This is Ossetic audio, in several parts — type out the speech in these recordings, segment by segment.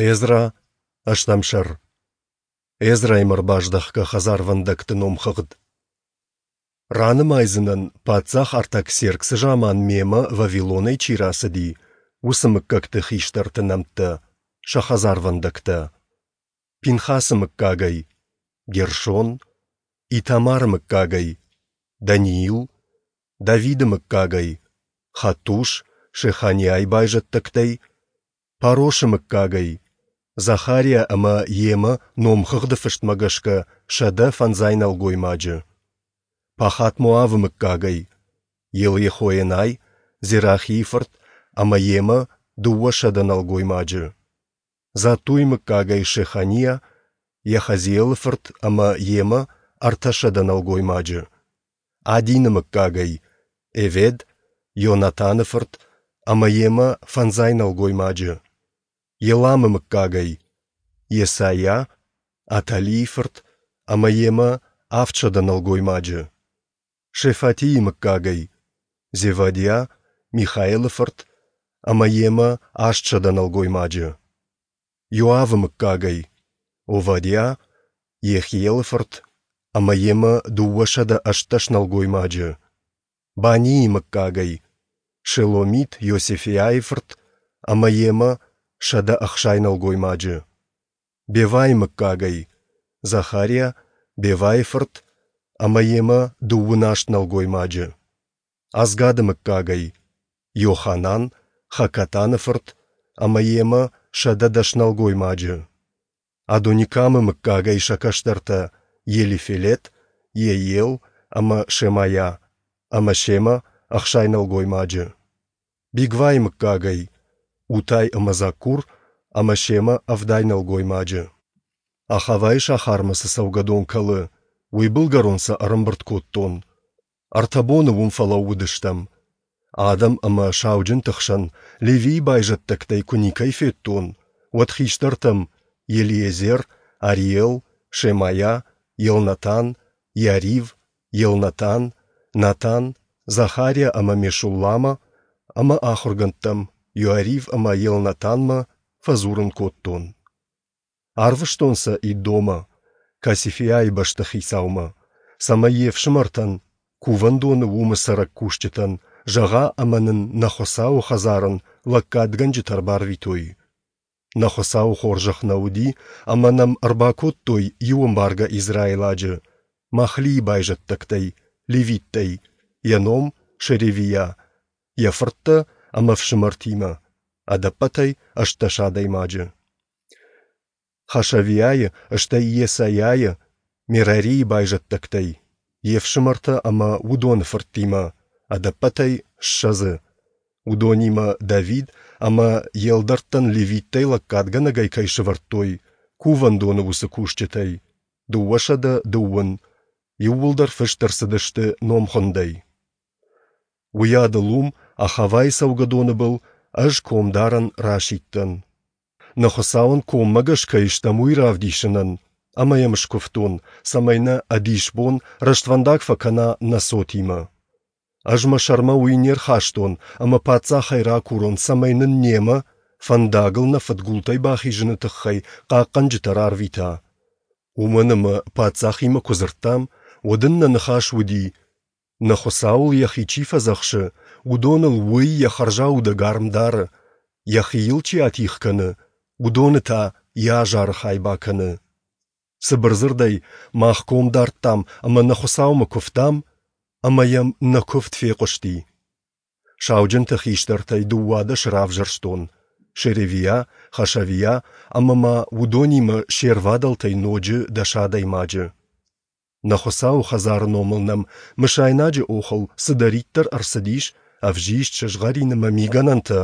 Эзра, ӕстӕм сӕр. Эзраимӕ ӕрбаздӕхгӕ хӕдзарвӕндӕгты номхыгъд. Ранымайдзынӕн, паддзах Артаксерксы заман мемӕ Вавилонӕй чи рацыди, уыцы мыггӕгты хистӕрты нӕмттӕ, сӕ хӕдзарвӕндӕгтӕ. Пинхасы мыггагӕй – Гершон, Итамары мыггагӕй – Даниил, Давиды мыггагӕй – Хаттуш, Шеханиайы байзӕддӕгтӕй – Парошы мыггагӕй Захариа ӕмӕ йемӕ номхыгъды фыстмӕ гӕсгӕ 150 нӕлгоймаджы. Пахат-Моавы мыггагӕй Елйехоенай, Зерахийы фырт ӕмӕ йемӕ 200 нӕлгоймаджы. Заттуйы мыггагӕй Шеханиа, Йахазиелы фырт ӕмӕ йемӕ 300 нӕлгоймаджы. Адины мыггагӕй Эвед, Йонатаны фырт ӕмӕ йемӕ фӕндзай нӕлгоймаджы. Еламы мыггагӕй Йесайа, Аталийы фырт ӕмӕ йемӕ 700 нӕлгоймаджы. Шефатийы мыггагӕй Зевадиа, Михаелы фырт ӕмӕ йемӕ 800 нӕлгоймаджы. Йоавы мыггагӕй Овадиа, Йехиелы фырт ӕмӕ йемӕ 218 нӕлгоймаджы. Банийы мыггагӕй Шеломит Йосефиайы фырт ӕмӕ йемӕ 160 нӕлгоймаджы. Бевайы мыггагӕй Захариа, Бевайы фырт ӕмӕ йемӕ 28 нӕлгоймаджы. Азгады мыггагӕй Йоханан, Хакатаны фырт ӕмӕ йемӕ 110 нӕлгоймаджы. Адоникамы мыггагӕй сӕ кӕстӕртӕ Елифелет, Йеиел ӕмӕ Шемайа, ӕмӕ семӕ 60 нӕлгоймаджы. Бигвайы мыггагӕй Утай ӕмӕ Заккур ӕмӕ семӕ 70 нӕлгоймаджы. Ахавайы сахармӕ цы цӕугӕдон кӕлы, уый былгӕрон сӕ ӕрӕмбырд кодтон. Ӕртӕ боны уым фӕлӕууыдыстӕм. Адӕм ӕмӕ сауджынты хсӕн Левийы байзӕддӕгтӕй куы никӕй федтон, уӕд хистӕртӕм Елиезер, Ариел, Шемайа, Елнатан, Иарив, Елнатан, Натан, Захариа ӕмӕ Мешулламӕ ӕмӕ ахуыргӕндтӕм Иоарив ӕмӕ Елнатанмӕ фӕдзурын кодтон. Арвыстон сӕ Иддомӕ, Касифиайы бӕстыхицаумӕ, цӕмӕй йе фсымӕртӕн, кувӕндоны уымы цӕрӕг кусджытӕн, зӕгъа ӕмӕ нын нӕ Хуыцауы хӕдзарӕн лӕггадгӕнджытӕ ӕрбарвитой. Нӕ Хуыцауы хорзӕх нӕ уыди, ӕмӕ нӕм ӕрбакодтой иу ӕмбаргӕ израиладжы, Махлийы байзӕддӕгтӕй, левиттӕй, йӕ ном Шеревиа, йӕ фырттӕ ӕмӕ фсымӕртимӕ, ӕдӕппӕтӕй 18 адӕймаджы. Хашавиайы, стӕй Йесайайы, Мерарийы байзӕддӕгтӕй, йе фсымӕртӕ ӕмӕ уыдоны фырттимӕ, ӕдӕппӕтӕй 20-ы. Уыдонимӕ Давид ӕмӕ йе лдӕрттӕн левиттӕй лӕггадгӕнӕгӕй кӕй сӕвӕрдтой, кувӕндоны уыцы кусджытӕй, 220, иууылдӕр фыст ӕрцыдысты номхуындӕй. Уыйадыл уым, Ахавайы цӕугӕдоны был, ӕз комдарӕн расидтӕн. Нӕ Хуыцауӕн коммӕгӕс кӕй стӕм, уый равдисынӕн, ӕмӕ йӕм скуывтон, цӕмӕй нӕ ӕдисбон рӕствӕндаг фӕкӕна нӕ цотимӕ. Ӕз мӕ сӕрмӕ уый не рхастон, ӕмӕ паддзахӕй ракурон, цӕмӕй нын немӕ, фӕндагыл нӕ фыдгултӕй бахизыны тыххӕй хъахъхъӕнджытӕ рарвита. Уымӕн ӕмӕ паддзахимӕ куы дзырдтам, уӕд ын нӕ ныхас уыди: нӕ Хуыцауыл йӕхи чи фӕдзӕхсы, уыдоныл уый йӕ хӕрзаудӕг арм дары, йӕхи йыл чи атигъ кӕны, уыдоны та йӕ азары хай бакӕны. Цыбыр дзырдӕй, мах ком дардтам ӕмӕ нӕ Хуыцаумӕ куывтам, ӕмӕ йӕм нӕ куывд фехъуысти. Сауджынты хистӕртӕй 12 равзӕрстон: Шеревиа, Хашавиа ӕмӕ ма уыдонимӕ се рвадӕлтӕй ноджы 10 адӕймаджы. Нӕ Хуыцауы хӕдзары номыл нӕм мысайнаджы охыл цыдӕриддӕр ӕрцыдис, ӕвзист, сызгъӕрин ӕмӕ мигӕнӕнтӕ,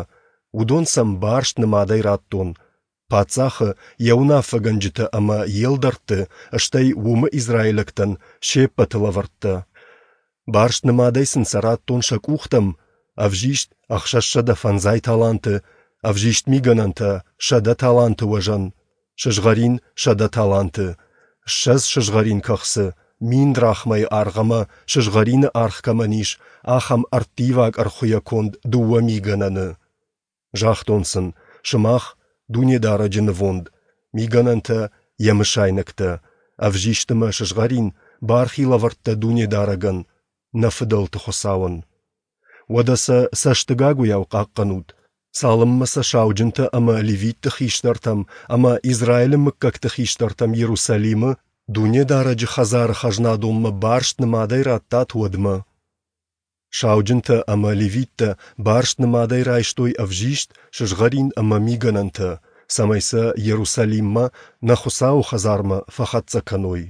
уыдон сӕм барст нымадӕй радтон, паддзахы, йӕ уынаффӕгӕнджытӕ ӕмӕ йе лдӕртты, стӕй уымы израилӕгтӕн се ппӕты лӕвӕрттӕ. Барст нымадӕй сын сӕ радтон сӕ къухтӕм, ӕвзист 650 таланты, ӕвзист мигӕнӕнтӕ 100 таланты уӕзӕн, сызгъӕрин 100 таланты, 20 сызгъӕрин кӕхцы, 1000 драхмӕйы аргъ ӕмӕ сызгъӕрины аргъ кӕмӕн ис, ахӕм ӕрттиваг ӕрхуыйӕ конд 2 мигӕнӕны. Загътон сын, сымах Дунедарӕджы нывонд, мигӕнӕнтӕ, йӕ мысайнӕгтӕ, ӕвзист ӕмӕ сызгъӕрин, бархи лӕвӕрттӕ Дунедарӕгӕн, нӕ фыдӕлты Хуыцауӕн. Уӕдӕ сӕ цӕстыгагуыйау хъахъхъӕнут, цалынмӕ сӕ сауджынтӕ ӕмӕ левитты хистӕртӕм ӕмӕ Израилы мыггӕгты хистӕртӕм Иерусалимы Дунедарӕджы хӕдзары хӕзнадонмӕ барст нымадӕй раттат, уӕдмӕ. Сауджынтӕ ӕмӕ левиттӕ барст нымадӕй райстой ӕвзист, сызгъӕрин ӕмӕ мигӕнӕнтӕ, цӕмӕй сӕ Иерусалиммӕ, нӕ Хуыцауы хӕдзармӕ, фӕхӕццӕ кӕной.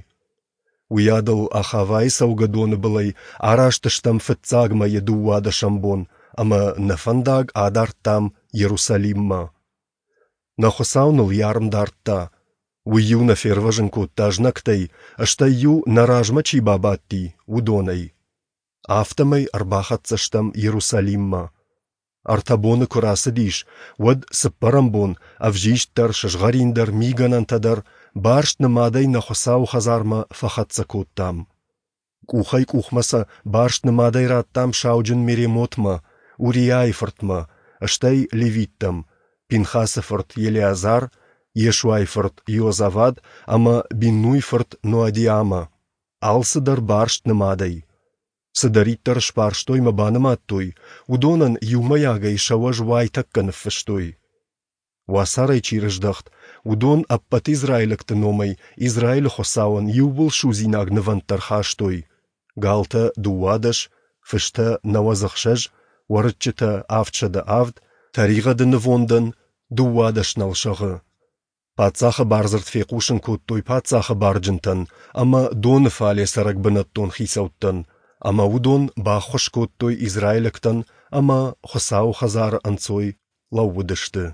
Уыйадыл Ахавайы цӕугӕдоны былӕй араст стӕм фыццаг мӕйы дыууадӕсӕм бон ӕмӕ нӕ фӕндаг адардтам Иерусалиммӕ. Нӕ Хуыцау ныл йӕ арм дардта. Уый-иу нӕ фервӕзын кодта знӕгтӕй, стӕй-иу нӕ размӕ чи бабадти, уыдонӕй. Афтӕмӕй ӕрбахӕццӕ стӕм Иерусалиммӕ. Ӕртӕ боны куы рацыдис, уӕд цыппӕрӕм бон ӕвзист дӕр, сызгъӕрин дӕр, мигӕнӕнтӕ дӕр барст нымадӕй нӕ Хуыцауы хӕдзармӕ фӕхӕццӕ кодтам. Къухӕй-къухмӕ сӕ барст нымадӕй радтам сауджын Меремотмӕ, Уриайы фыртмӕ, стӕй левиттӕм, Пинхасы фырт Елеазар, Йешуайы фырт Иозавад ӕмӕ Биннуйы фырт Ноадиамӕ. Алцыдӕр барст нымадӕй. Цыдӕриддӕр сбарстой мӕ банымадтой, уыдонӕн иумӕйагӕй сӕ уӕз уайтӕккӕ ныффыстой. Уацарӕй чи рыздӕхт, уыдон ӕппӕт израилӕгты номӕй Израилы Хуыцауӕн иууылсудзинаг нывӕндтӕ ӕрхастой: галтӕ 12, фыстӕ 96, уӕрыччытӕ 707, тӕригъӕды нывондӕн 12 нӕлсӕгъы. Паддзахы бардзырд фехъусын кодтой паддзахы барджынтӕн ӕмӕ доны фале цӕрӕг бынӕттон хицӕуттӕн, ӕмӕ уыдон баххуыс кодтой израилӕгтӕн ӕмӕ Хуыцауы хӕдзары ӕнцой лӕууыдысты.